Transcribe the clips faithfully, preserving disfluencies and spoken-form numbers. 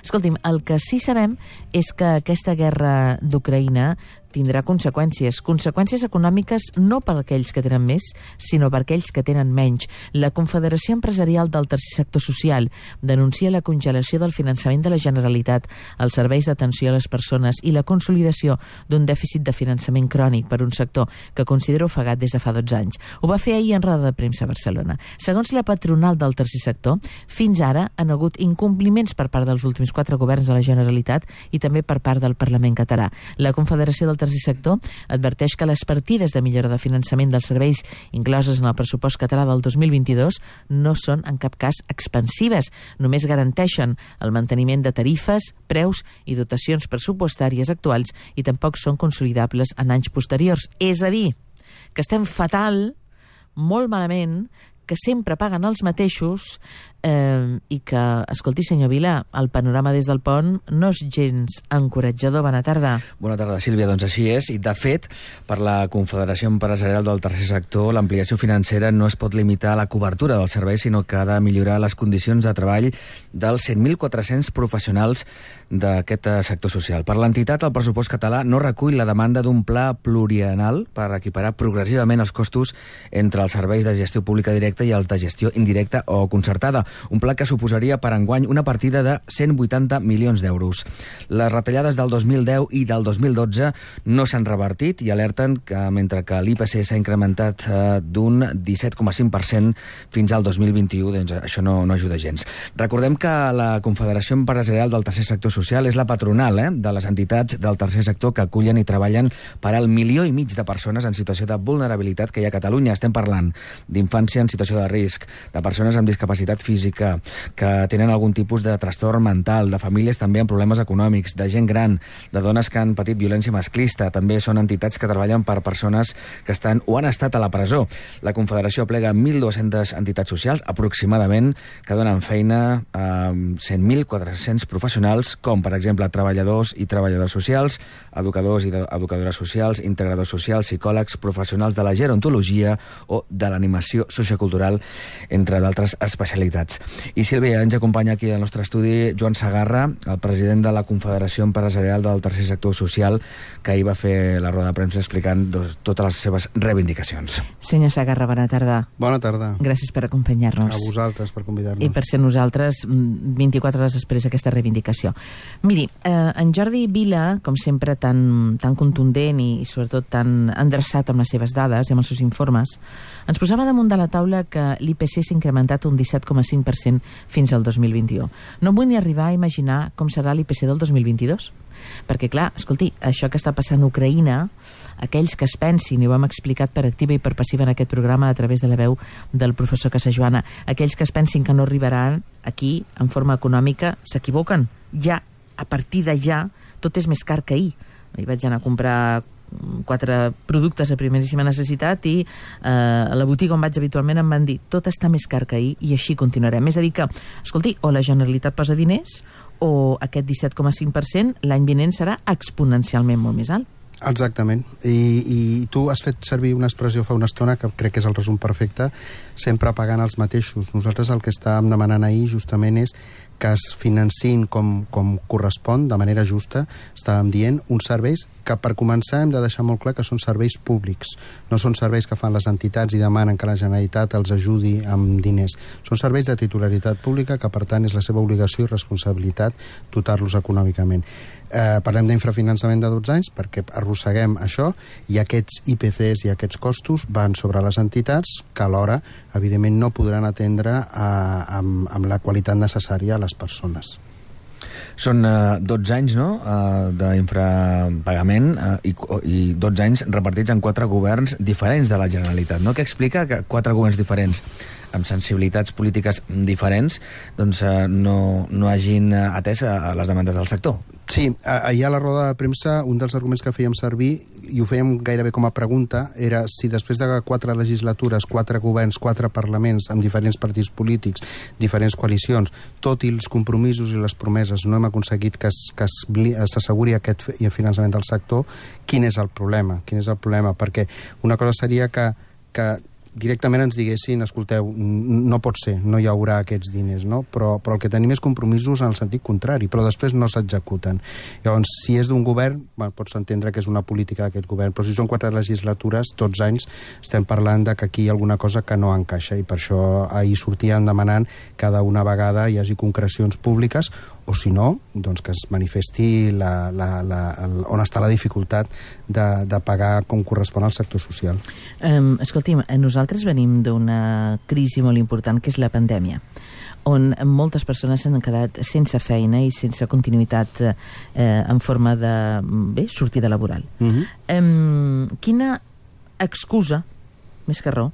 Escolti'm, el que sí sabem és que aquesta guerra d'Ucraïna tindrà conseqüències. Conseqüències econòmiques no per aquells que tenen més, sinó per aquells que tenen menys. La Confederació Empresarial del Tercer Sector Social denuncia la congelació del finançament de la Generalitat, els serveis d'atenció a les persones i la consolidació d'un dèficit de finançament crònic per un sector que considera ofegat des de fa dotze anys. Ho va fer ahir en roda de premsa a Barcelona. Segons la patronal del tercer sector, fins ara han hagut incompliments per part dels últims quatre governs de la Generalitat i també per part del Parlament català. La Confederació del Tercer Sector adverteix que les partides de millora de finançament dels serveis incloses en el pressupost català del dos mil vint-i-dos no són en cap cas expansives, només garanteixen el manteniment de tarifes, preus i dotacions pressupostàries actuals i tampoc són consolidables en anys posteriors. És a dir, que estem fatal, molt malament, que sempre paguen els mateixos eh, i que, escolti, senyor Vila, el panorama des del pont no és gens encoratjador. Bona tarda. Bona tarda, Sílvia. Doncs així és. I, de fet, per la Confederació Empresarial del Tercer Sector, l'ampliació financera no es pot limitar a la cobertura del servei, sinó que ha de millorar les condicions de treball dels cent mil quatre-cents professionals d'aquest sector social. Per l'entitat, el pressupost català no recull la demanda d'un pla plurianual per equiparar progressivament els costos entre els serveis de gestió pública directa i els de gestió indirecta o concertada. Un pla que suposaria per enguany una partida de cent vuitanta milions d'euros. Les retallades del dos mil deu i del dos mil dotze no s'han revertit i alerten que mentre que l'I P C s'ha incrementat eh, d'un disset coma cinc per cent fins al dos mil vint-i-u, doncs això no, no ajuda gens. Recordem que la Confederació Empresarial del Tercer Sector Social és la patronal eh, de les entitats del tercer sector que acullen i treballen per al milió i mig de persones en situació de vulnerabilitat que hi ha a Catalunya. Estem parlant d'infància en situació de risc, de persones amb discapacitat física, que tenen algun tipus de trastorn mental, de famílies també amb problemes econòmics, de gent gran, de dones que han patit violència masclista. També són entitats que treballen per persones que estan o han estat a la presó. La Confederació plega mil dues-centes entitats socials, aproximadament, que donen feina a cent mil quatre-cents professionals, com, per exemple, treballadors i treballadores socials, educadors i educadores socials, integradors socials, psicòlegs, professionals de la gerontologia o de l'animació sociocultural, entre d'altres especialitats. I, Sílvia, ens acompanya aquí al nostre estudi Joan Segarra, el president de la Confederació Empresarial del Tercer Sector Social, que ahir va fer la roda de premsa explicant dos, totes les seves reivindicacions. Senyor Segarra, bona tarda. Bona tarda. Gràcies per acompanyar-nos. A vosaltres per convidar-nos. I per ser nosaltres vint-i-quatre hores després d'aquesta reivindicació. Miri, eh, en Jordi Vila, com sempre tan, tan contundent i, i sobretot tan endreçat amb les seves dades i amb els seus informes, ens posava damunt de la taula que l'I P C s'ha incrementat un disset coma cinc per cent fins al dos mil vint-i-u. No vull ni arribar a imaginar com serà l'I P C del dos mil vint-i-dos. Perquè, clar, escolti, això que està passant a Ucraïna, aquells que es pensin, i ho hem explicat per activa i per passiva en aquest programa a través de la veu del professor Casajoana, aquells que es pensin que no arribaran aquí en forma econòmica s'equivoquen. Ja, a partir de ja, tot és més car que ahir. Ahir vaig anar a comprar quatre productes de primeríssima necessitat i eh, a la botiga on vaig habitualment em van dir tot està més car que ahir i així continuarem. És a dir que, escolti, o la Generalitat posa diners o aquest disset coma cinc per cent l'any vinent serà exponencialment molt més alt. Exactament. I, i tu has fet servir una expressió fa una estona que crec que és el resum perfecte, sempre pagant els mateixos. Nosaltres el que estàvem demanant ahir justament és que es financin com, com correspon, de manera justa, estàvem dient, uns serveis que per començar hem de deixar molt clar que són serveis públics, no són serveis que fan les entitats i demanen que la Generalitat els ajudi amb diners. Són serveis de titularitat pública que, per tant, és la seva obligació i responsabilitat dotar-los econòmicament. Eh, parlem d'infrafinançament de dotze anys perquè arrosseguem això i aquests I P Cs i aquests costos van sobre les entitats que alhora, evidentment, no podran atendre a, amb, amb la qualitat necessària a les persones. Són uh, dotze anys, no?, uh, d'infrapagament uh, i, i dotze anys repartits en quatre governs diferents de la Generalitat, no? Què explica que quatre governs diferents amb sensibilitats polítiques diferents doncs uh, no, no hagin atès a les demandes del sector? Sí, ahir a la roda de premsa un dels arguments que fèiem servir, i ho fèiem gairebé com a pregunta, era si després de quatre legislatures, quatre governs, quatre parlaments amb diferents partits polítics, diferents coalicions, tot i els compromisos i les promeses no hem aconseguit que s'asseguri aquest finançament del sector, quin és el problema? Quin és el problema? Perquè una cosa seria que, que directament ens diguessin, escolteu, no pot ser, no hi haurà aquests diners, no? Però, però el que tenim és compromisos en el sentit contrari, però després no s'executen. Llavors, si és d'un govern, bueno, pots entendre que és una política d'aquest govern, però si són quatre legislatures, tots anys estem parlant de que aquí hi ha alguna cosa que no encaixa, i per això ahir sortíem demanant cada una vegada hi hagi concrecions públiques, o si no, doncs que es manifesti la, la, la, on està la dificultat de, de pagar com correspon al sector social. Um, escolti'm, nosaltres venim d'una crisi molt important, que és la pandèmia, on moltes persones s'han quedat sense feina i sense continuïtat eh, en forma de bé, sortida laboral. Uh-huh. um, quina excusa, més que raó,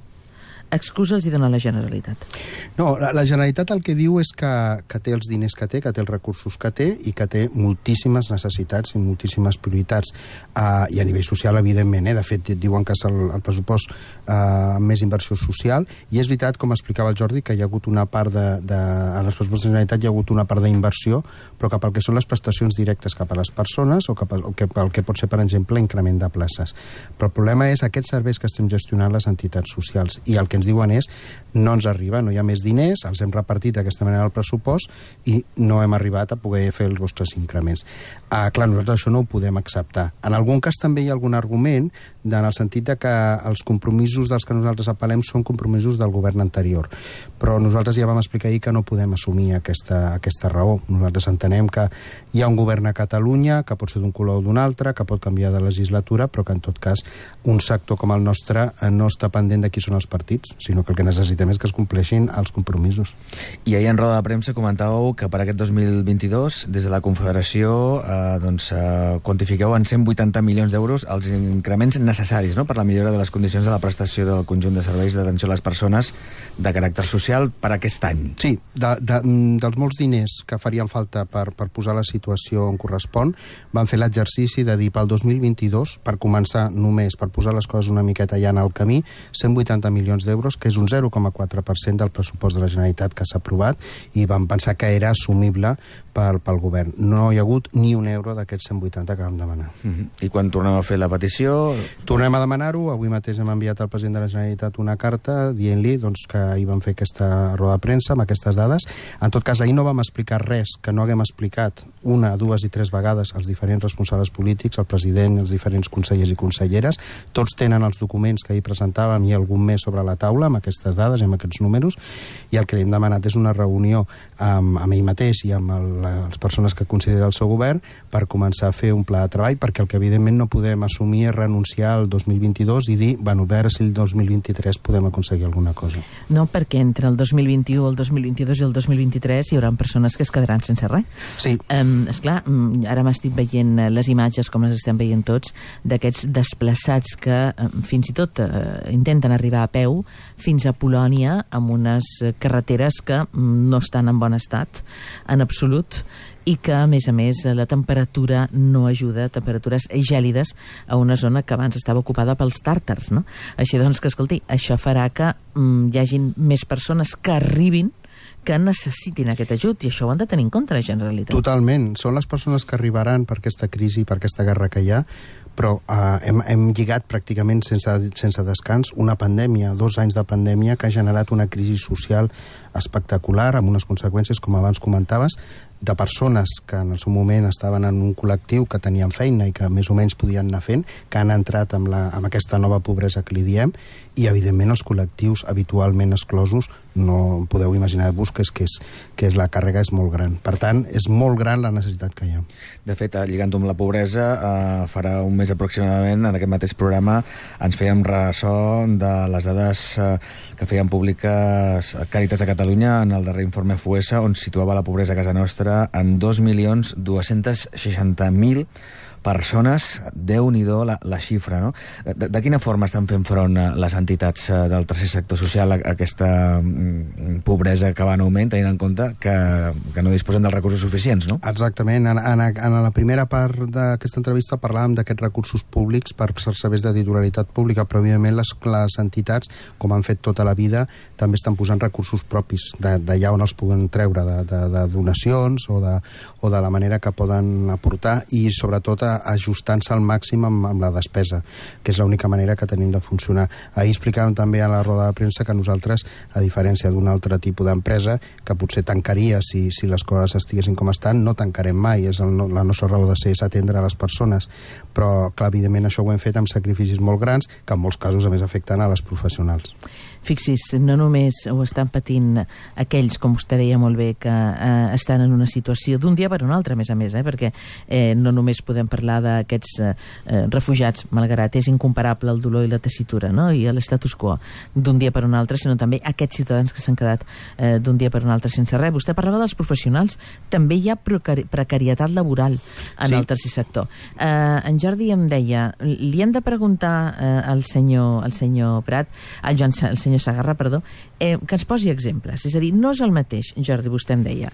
excusa els hi dona la Generalitat? No, la, la Generalitat el que diu és que, que té els diners que té, que té els recursos que té i que té moltíssimes necessitats i moltíssimes prioritats. Uh, I a nivell social, evidentment, eh? De fet, diuen que és el, el pressupost uh, amb més inversió social, i és veritat, com explicava el Jordi, que hi ha hagut una part de... de en els pressupostos de la Generalitat hi ha hagut una part d'inversió, però cap al que són les prestacions directes cap a les persones o cap al que, el que pot ser, per exemple, increment de places. Però el problema és aquests serveis que estem gestionant les entitats socials, i el que ens diuen és no ens arriba, no hi ha més diners, els hem repartit d'aquesta manera al pressupost i no hem arribat a poder fer els vostres increments. Ah, clar, nosaltres això no ho podem acceptar. En algun cas també hi ha algun argument en el sentit de que els compromisos dels que nosaltres apel·lem són compromisos del govern anterior, però nosaltres ja vam explicar ahir que no podem assumir aquesta, aquesta raó. Nosaltres entenem que hi ha un govern a Catalunya que pot ser d'un color o d'un altre, que pot canviar de legislatura, però que en tot cas un sector com el nostre no està pendent de qui són els partits, sinó que el que necessitem és que es compleixin els compromisos. I ahir en roda de premsa comentàveu que per aquest dos mil vint-i-dos, des de la Confederació, eh, doncs, eh, quantifiqueu en cent vuitanta milions d'euros els increments necessaris, no?, per la millora de les condicions de la prestació del conjunt de serveis d'atenció a les persones de caràcter social per aquest any. Sí, de, de, dels molts diners que farien falta per, per posar la situació on correspon, van fer l'exercici de dir pel dos mil vint-i-dos, per començar només, per posar les coses una miqueta ja en el camí, cent vuitanta milions d'euros, que és un zero coma quatre per cent del pressupost de la Generalitat que s'ha aprovat, i vam pensar que era assumible pel, pel govern. No hi ha hagut ni un euro d'aquests cent vuitanta que vam demanar. Uh-huh. I quan tornem a fer la petició? Tornem a demanar-ho. Avui mateix hem enviat al president de la Generalitat una carta dient-li doncs, que ahir vam fer aquesta roda de premsa amb aquestes dades. En tot cas, ahir no vam explicar res que no haguem explicat una, dues i tres vegades als diferents responsables polítics, al president, els diferents consellers i conselleres. Tots tenen els documents que ahir presentàvem i algun més sobre la taula amb aquestes dades i amb aquests números, i el que li hem demanat és una reunió amb, amb ell mateix i amb el, les persones que considera el seu govern per començar a fer un pla de treball, perquè el que evidentment no podem assumir és renunciar al dos mil vint-i-dos i dir, bueno, a veure si el dos mil vint-i-tres podem aconseguir alguna cosa. No, perquè entre el dos mil vint-i-u, el dos mil vint-i-dos i el dos mil vint-i-tres hi haurà persones que es quedaran sense res. Sí. Um, esclar, ara m'estic veient les imatges, com les estem veient tots, d'aquests desplaçats que um, fins i tot uh, intenten arribar a peu fins a Polònia amb unes carreteres que no estan en bon estat, en absolut, i que, a més a més, la temperatura no ajuda, temperatures gèlides a una zona que abans estava ocupada pels tàrtars, no? Així doncs, que escolti, això farà que mm, hi hagin més persones que arribin que necessitin aquest ajut, i això ho han de tenir en compte la Generalitat. Totalment. Són les persones que arribaran per aquesta crisi, per aquesta guerra que hi ha, però eh, hem, hem lligat pràcticament sense, sense descans una pandèmia, dos anys de pandèmia que ha generat una crisi social espectacular, amb unes conseqüències, com abans comentaves, de persones que en el seu moment estaven en un col·lectiu que tenien feina i que més o menys podien anar fent, que han entrat amb, la, amb aquesta nova pobresa que li diem, i evidentment els col·lectius habitualment exclosos, no podeu imaginar-vos que, és, que, és, que és, la càrrega és molt gran. Per tant, és molt gran la necessitat que hi ha. De fet, lligant-ho amb la pobresa, eh, farà un mes aproximadament, en aquest mateix programa, ens fèiem ressò de les dades eh, que feien públiques Càritas de Catalunya en el darrer informe F U E S A, on situava la pobresa a casa nostra en dos milions dos-cents seixanta mil persones. Déu-n'hi-do la, la xifra, no? De, de quina forma estan fent front les entitats del tercer sector social a aquesta mm, pobresa que va en augment, tenint en compte que, que no disposen dels recursos suficients, no? Exactament. En, en, en la primera part d'aquesta entrevista parlàvem d'aquests recursos públics per serveis de titularitat pública, però evidentment les, les entitats, com han fet tota la vida, també estan posant recursos propis d'allà on els puguen treure, de, de, de donacions o de, o de la manera que poden aportar, i sobretot ajustant-se al màxim amb, amb la despesa, que és l'única manera que tenim de funcionar. Ahir explicàvem també a la roda de premsa que nosaltres, a diferència d'un altre tipus d'empresa, que potser tancaria si, si les coses estiguessin com estan, no tancarem mai. És el, la nostra raó de ser és atendre a les persones. Però, clar, evidentment, això ho hem fet amb sacrificis molt grans, que en molts casos, a més, afecten a les professionals. Fixi's, no només ho estan patint aquells, com vostè deia molt bé, que eh, estan en una situació d'un dia per un altre, a més a més, eh, perquè eh, no només podem parlar d'aquests eh, refugiats, malgrat és incomparable el dolor i la tessitura, no?, i l'estatus quo d'un dia per un altre, sinó també aquests ciutadans que s'han quedat eh, d'un dia per un altre sense res. Vostè parlava dels professionals, també hi ha precari precarietat laboral en sí. el tercer sector. Eh, en Jordi em deia, li hem de preguntar eh, al senyor, al senyor Prat, al Joan, al senyor Segarra, perdó, eh, que ens posi exemples. És a dir, no és el mateix, Jordi, vostè em deia,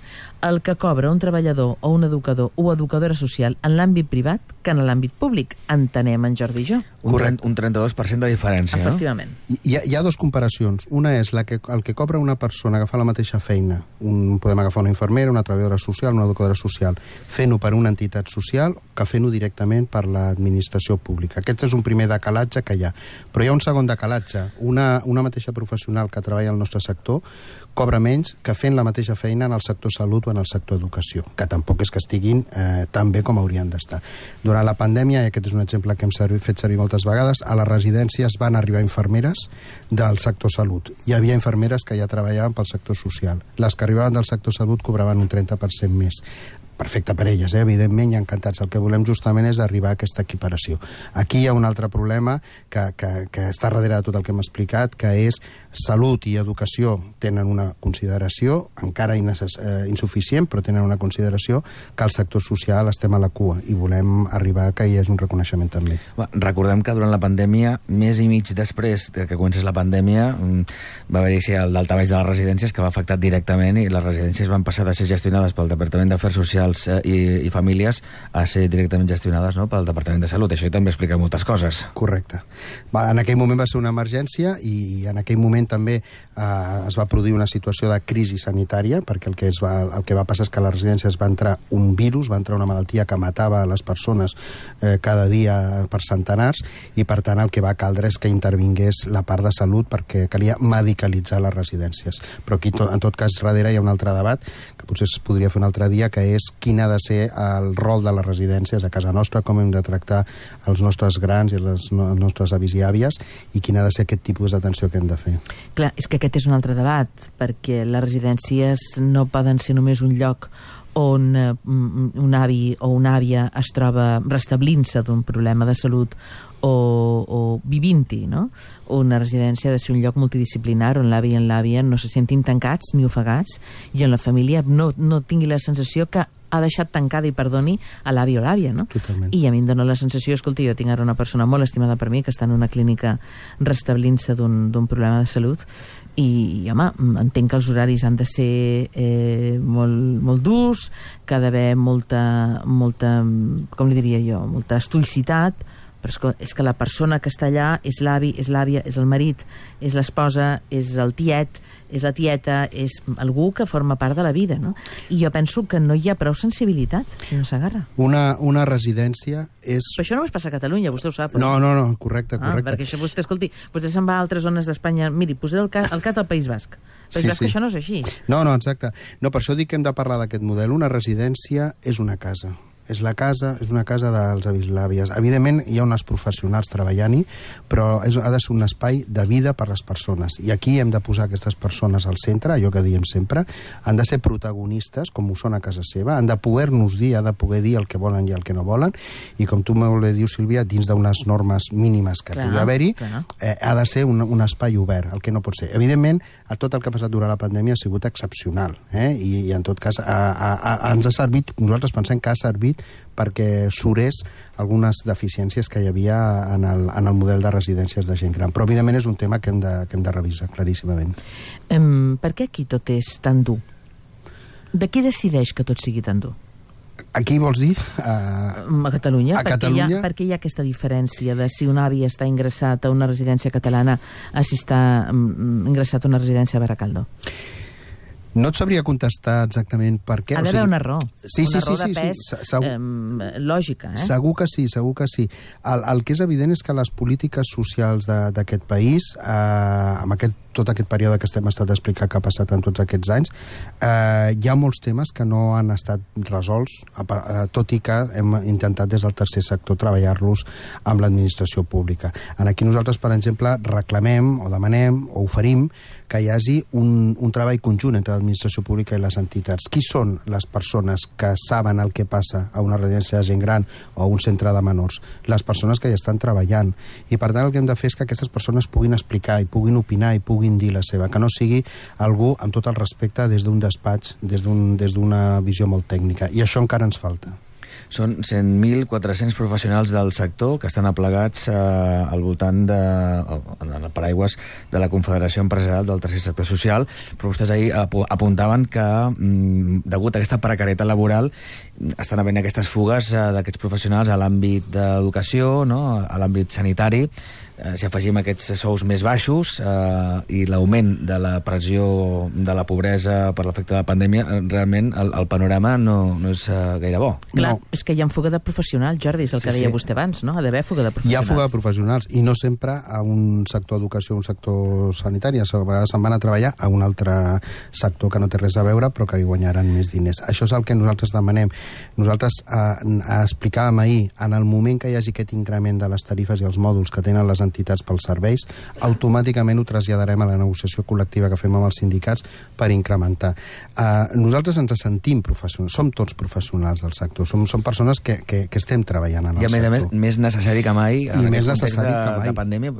el que cobra un treballador o un educador o educadora social en l'àmbit privat que en l'àmbit públic. Entenem, en Jordi i jo. Un, un trenta-dos per cent de diferència, efectivament. No? Hi ha, hi ha dues comparacions. Una és la que, el que cobra una persona que fa la mateixa feina. Un, podem agafar una infermera, una treballadora social, una educadora social, fent-ho per una entitat social que fent-ho directament per l'administració pública. Aquest és un primer decalatge que hi ha. Però hi ha un segon decalatge. Una, una mateixa professional que treballa al nostre sector cobra menys que fent la mateixa feina en el sector salut o en el sector educació, que tampoc és que estiguin eh, tan bé com haurien d'estar. Durant la pandèmia, i aquest és un exemple que hem servit, fet servir moltes vegades, a les residències van arribar infermeres del sector salut. Hi havia infermeres que ja treballaven pel sector social. Les que arribaven del sector salut cobraven un trenta per cent més. Perfecte per elles, eh? Evidentment, i encantats. El que volem justament és arribar a aquesta equiparació. Aquí hi ha un altre problema que, que, que està darrere de tot el que hem explicat, que és salut i educació tenen una consideració, encara innecess- eh, insuficient, però tenen una consideració, que al sector social estem a la cua i volem arribar a que hi hagi un reconeixement també. Va, recordem que durant la pandèmia, més i mig després que comencés la pandèmia, va haver-hi el daltabaix de les residències que va afectar directament i les residències van passar de ser gestionades pel Departament d'Afers Socials I, i famílies a ser directament gestionades, no?, pel Departament de Salut. Això també explica moltes coses. Correcte. Va, en aquell moment va ser una emergència i en aquell moment també eh, es va produir una situació de crisi sanitària, perquè el que, es va, el que va passar és que a les residències va entrar un virus, va entrar una malaltia que matava a les persones eh, cada dia per centenars, i per tant el que va caldre és que intervingués la part de salut perquè calia medicalitzar les residències. Però aquí, to, en tot cas, darrere hi ha un altre debat que potser es podria fer un altre dia, que és quin ha de ser el rol de les residències a casa nostra, com hem de tractar els nostres grans i les no, nostres avis i àvies, i quin ha de ser aquest tipus d'atenció que hem de fer. Clar, és que aquest és un altre debat, perquè les residències no poden ser només un lloc on eh, un avi o una àvia es troba restablint-se d'un problema de salut o, o vivint-hi, no? Una residència ha de ser un lloc multidisciplinar on l'avi i l'àvia no se sentin tancats ni ofegats i on la família no, no tingui la sensació que ha deixat tancada, i perdoni, a l'avi o l'àvia, no? Totalment. I a mi em dóna la sensació, escolti, jo tinc ara una persona molt estimada per mi que està en una clínica restablint-se d'un d'un problema de salut i, home, entenc que els horaris han de ser eh, molt, molt durs, que ha d'haver molta, molta, com li diria jo, molta estoïcitat, però és que, és que la persona que està allà és l'avi, és l'àvia, és el marit, és l'esposa, és el tiet, és la tieta, és algú que forma part de la vida, no? I jo penso que no hi ha prou sensibilitat, senyor Segarra. Una, una residència és... Però això no es passa a Catalunya, vostè ho sap. No, no, no, correcte, correcte. Ah, perquè això vostè, escolti, vostè se'n va a altres zones d'Espanya. Miri, posaré el cas, el cas del País Basc. País Sí, Basc, sí. això no és així. No, no, exacte. No, per això dic que hem de parlar d'aquest model. Una residència és una casa. És la casa, és una casa dels avis i l'àvies. Evidentment, hi ha uns professionals treballant-hi, però és, ha de ser un espai de vida per les persones. I aquí hem de posar aquestes persones al centre, allò que diem sempre, han de ser protagonistes, com ho són a casa seva, han de poder-nos dir, han de poder dir el que volen i el que no volen, i com tu molt bé dius, Sílvia, dins d'unes normes mínimes que Clar, pugui haver-hi, clar. eh, ha de ser un, un espai obert, el que no pot ser. Evidentment, tot el que ha passat durant la pandèmia ha sigut excepcional, eh? I, i en tot cas a, a, a, ens ha servit, nosaltres pensem que ha servit perquè surés algunes deficiències que hi havia en el, en el model de residències de gent gran. Però, evidentment, és un tema que hem de, que hem de revisar, claríssimament. Um, per què aquí tot és tan dur? De qui decideix que tot sigui tan dur? Aquí vols dir? Uh, A Catalunya? A perquè Catalunya? Hi ha, perquè hi ha aquesta diferència de si un avi està ingressat a una residència catalana a si està um, ingressat a una residència a Baracaldo? No et sabria contestar exactament per què. Ha d'haver una raó. Sí, una sí, raó sí, de sí, pes sí, segur, eh, lògica. Eh? Segur que sí, segur que sí. El, el que és evident és que les polítiques socials d'aquest país, eh, amb aquest, tot aquest període que estem estat explicant que ha passat en tots aquests anys, eh, hi ha molts temes que no han estat resolts, eh, tot i que hem intentat des del tercer sector treballar-los amb l'administració pública. Aquí nosaltres, per exemple, reclamem o demanem o oferim que hi hagi un, un treball conjunt entre l'administració pública i les entitats. Qui són les persones que saben el que passa a una residència de gent gran o a un centre de menors? Les persones que hi estan treballant. I per tant el que hem de fer és que aquestes persones puguin explicar i puguin opinar i puguin dir la seva, que no sigui algú amb tot el respecte des d'un despatx, des d'un, des d'una visió molt tècnica. I això encara ens falta. Són cent mil quatre-cents professionals del sector que estan aplegats eh, al voltant de, en el paraigües de la Confederació Empresarial del Tercer Sector Social, però vostès ahir apuntaven que, mm, degut a aquesta precarietat laboral, estan havent aquestes fugues eh, d'aquests professionals a l'àmbit d'educació, no?, a l'àmbit sanitari. Eh, si afegim aquests sous més baixos eh, i l'augment de la pressió de la pobresa per l'efecte de la pandèmia, eh, realment el, el panorama no, no és eh, gaire bo. Clar, no. És que hi ha fuga de professionals, Jordi, és el que sí, deia sí. vostè abans, no? Ha d'haver fuga de professionals. Hi ha fuga de professionals, i no sempre a un sector educació o un sector sanitari. A vegades se'n van a treballar a un altre sector que no té res a veure, però que hi guanyaran més diners. Això és el que nosaltres demanem. Nosaltres eh, explicàvem ahir, en el moment que hi hagi aquest increment de les tarifes i els mòduls que tenen les entitats pels serveis, automàticament ho traslladarem a la negociació col·lectiva que fem amb els sindicats per incrementar. Uh, nosaltres ens sentim professionals, som tots professionals del sector, som, som persones que, que, que estem treballant en el sector. I a més a més, més necessari que mai, I en més necessari de, que mai. de pandèmia,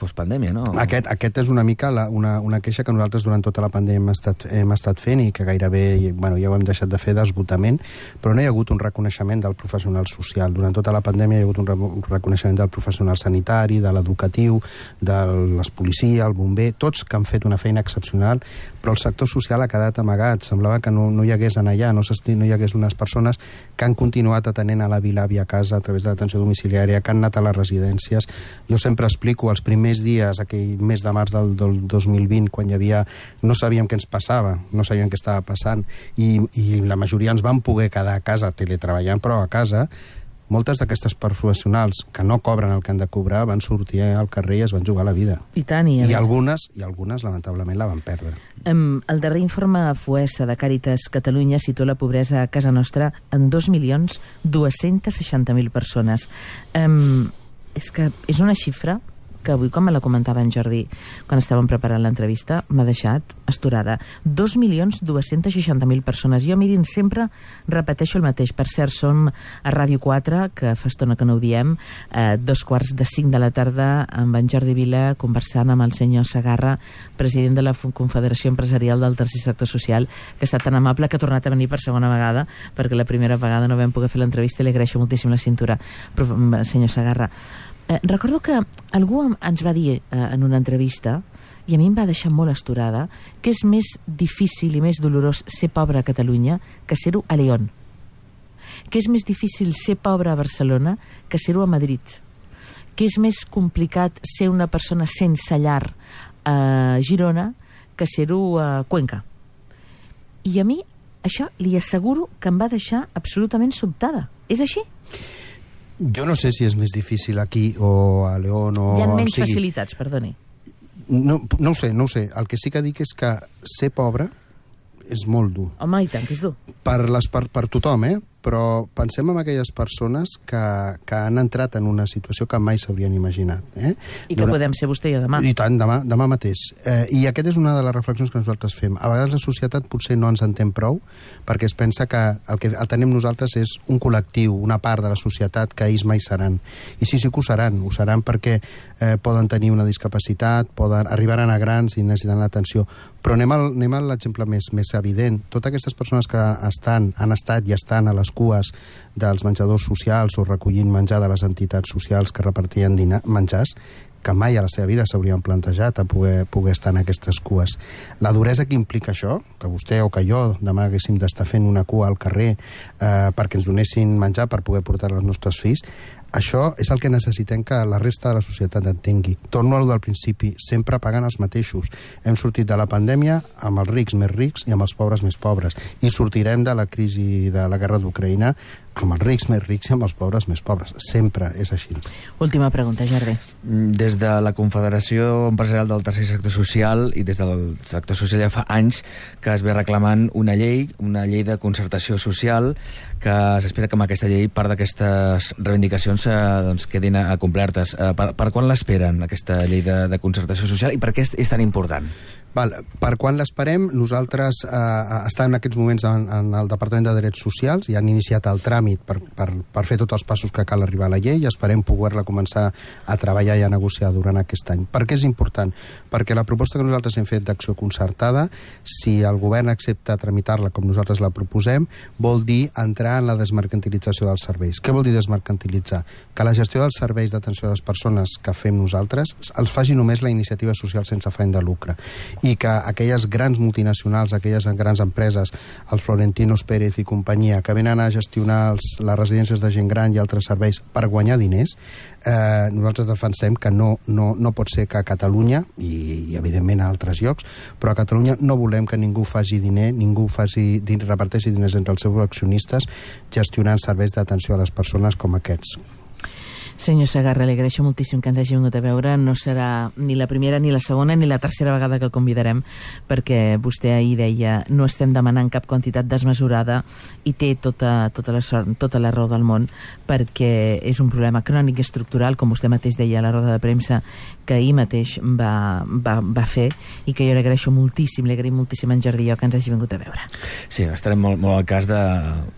postpandèmia, no? Aquest, aquest és una mica la, una, una queixa que nosaltres durant tota la pandèmia hem estat, hem estat fent i que gairebé, bueno, ja ho hem deixat de fer, d'esgotament, però no hi ha hagut un reconeixement del professional social. Durant tota la pandèmia hi ha hagut un, re un reconeixement del professional sanitari, de l'educatiu, de les policia, el bomber, tots que han fet una feina excepcional, però el sector social ha quedat amagat. Semblava que no, no hi hagués en allà, no, no hi hagués unes persones que han continuat atenent a la vila-àvia a casa a través de l'atenció domiciliària, que han anat a les residències. Jo sempre explico, els primers dies, aquell mes de març del, del dos mil vint, quan hi havia... no sabíem què ens passava, no sabíem què estava passant, i, i la majoria ens van poder quedar a casa teletreballant, però a casa moltes d'aquestes professionals que no cobren el que han de cobrar van sortir al carrer i es van jugar la vida. I tant, i, I algunes, i algunes lamentablement, la van perdre. Um, el darrer informe Foessa de Càritas Catalunya situa la pobresa a casa nostra en dos milions dos-cents seixanta mil persones. Um, és que és una xifra que avui, com me la comentava en Jordi quan estàvem preparant l'entrevista, m'ha deixat astorada. dos milions dos-cents seixanta mil persones. Jo, mirin, sempre repeteixo el mateix. Per cert, som a Ràdio quatre, que fa estona que no ho diem, eh, dos quarts de cinc de la tarda, amb en Jordi Vila, conversant amb el senyor Segarra, president de la Confederació Empresarial del Tercer Sector Social, que ha estat tan amable que ha tornat a venir per segona vegada, perquè la primera vegada no vam poder fer l'entrevista i li agraeixo moltíssim la cintura. Però, senyor Segarra, Eh, recordo que algú ens va dir eh, en una entrevista, i a mi em va deixar molt astorada, que és més difícil i més dolorós ser pobre a Catalunya que ser-ho a León. Que és més difícil ser pobre a Barcelona que ser-ho a Madrid. Que és més complicat ser una persona sense llar a Girona que ser-ho a Cuenca. I a mi això li asseguro que em va deixar absolutament sobtada. És així? Jo no sé si és més difícil aquí o a León o... Hi ha menys sigui, facilitats, perdoni. No, no ho sé, no ho sé. El que sí que dic és que ser pobre és molt dur. Home, i tant, que és dur. Per, les, per, per tothom, eh? Però pensem en aquelles persones que, que han entrat en una situació que mai s'haurien imaginat. Eh? I que Durant... podem ser vostè i jo demà. I tant, demà, demà mateix. Eh, I aquesta és una de les reflexions que nosaltres fem. A vegades la societat potser no ens entén prou, perquè es pensa que el que tenim nosaltres és un col·lectiu, una part de la societat que ells mai seran. I sí, sí que ho seran. Ho seran perquè eh, poden tenir una discapacitat, poden arribaran a grans i necessitaran l'atenció. Però anem, al, anem a l'exemple més, més evident. Totes aquestes persones que estan, han estat i estan a les cues dels menjadors socials o recollint menjar de les entitats socials que repartien dinar, menjars, que mai a la seva vida s'haurien plantejat a poder, poder estar en aquestes cues. La duresa que implica això, que vostè o que jo demà haguéssim d'estar fent una cua al carrer eh, perquè ens donessin menjar per poder portar als nostres fills, això és el que necessitem que la resta de la societat entengui. Torno a lo del principi, sempre pagant els mateixos. Hem sortit de la pandèmia amb els rics més rics i amb els pobres més pobres. I sortirem de la crisi de la guerra d'Ucraïna amb els rics més rics i amb els pobres més pobres. Sempre és així. Última pregunta, Jordi. Des de la Confederació Empresarial del Tercer Sector Social i des del sector social ja fa anys que es ve reclamant una llei, una llei de concertació social, que s'espera que amb aquesta llei part d'aquestes reivindicacions eh, doncs, quedin acomplertes. Eh, per, per quan l'esperen, aquesta llei de, de concertació social, i per què és, és tan important? Val, per quan l'esperem? Nosaltres eh, estem en aquests moments en, en el Departament de Drets Socials i han iniciat el tràmit per, per, per fer tots els passos que cal arribar a la llei i esperem poder-la començar a treballar i a negociar durant aquest any. Per què és important? Perquè la proposta que nosaltres hem fet d'acció concertada, si el govern accepta tramitar-la com nosaltres la proposem, vol dir entrar en la desmercantilització dels serveis. Què vol dir desmercantilitzar? Que la gestió dels serveis d'atenció a les persones que fem nosaltres els faci només la iniciativa social sense afany de lucre, i que aquelles grans multinacionals, aquelles grans empreses, els Florentinos Pérez i companyia, que venen a gestionar els, les residències de gent gran i altres serveis per guanyar diners, eh, nosaltres defensem que no, no, no pot ser que a Catalunya, i, i evidentment a altres llocs, però a Catalunya no volem que ningú faci diner, ningú faci, reparteixi diners entre els seus accionistes gestionant serveis d'atenció a les persones com aquests. Senyor Segarra, li agraeixo moltíssim que ens hagi vingut a veure. No serà ni la primera, ni la segona, ni la tercera vegada que el convidarem, perquè vostè ahir deia no estem demanant cap quantitat desmesurada, i té tota, tota, la, tota la raó del món, perquè és un problema crònic i estructural, com vostè mateix deia a la roda de premsa que ahir mateix va, va, va fer, i que jo li agraeixo moltíssim, li agraïm moltíssim a en Jordi i jo que ens hagi vingut a veure. Sí, estarem molt, molt al cas de,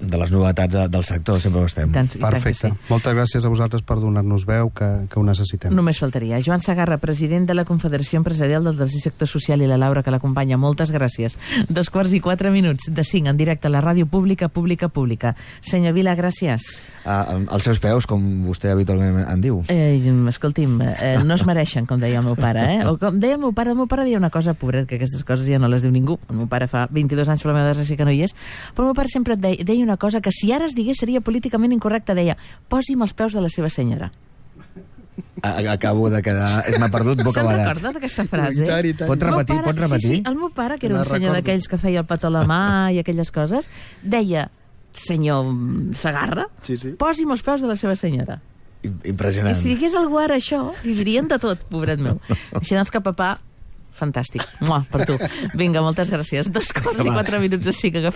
de les novetats de, del sector, sempre ho estem. Tant, Perfecte. Tant sí. Moltes gràcies a vosaltres per donar-nos veu, que, que ho necessitem. Només faltaria. Joan Segarra, president de la Confederació Empresarial del Tercer Sector Social, i la Laura, que l'acompanya. Moltes gràcies. Dos quarts i quatre minuts de cinc en directe a la ràdio pública, pública, pública. Senyor Vila, gràcies. Ah, als seus peus, com vostè habitualment en diu. Eh, escolti'm, eh, no es mereixen, com deia el meu pare, eh? O com deia el meu pare, el meu pare deia una cosa, pobret, que aquestes coses ja no les diu ningú. El meu pare fa vint-i-dos anys, per la meva desgràcia que no hi és, però el meu pare sempre deia, deia una cosa que si ara es digués seria políticament incorrecta, deia, posi'm els peus de la seva senyora. Acabo de quedar... M'ha perdut bocabadat. Se'n recorda d'aquesta frase? I tant, i tant. Pot repetir, pare, pot repetir? Sí, sí, el meu pare, que era un senyor d'aquells que feia el petó a la mà i aquelles coses, deia, senyor Segarra, sí, sí. Posi'm els peus de la seva senyora. Impressionant. I si digués algú ara això, li dirien de tot, pobret meu. Així doncs que papà, fantàstic. Mua, per tu. Vinga, moltes gràcies. Dos quarts i quatre minuts així que agafem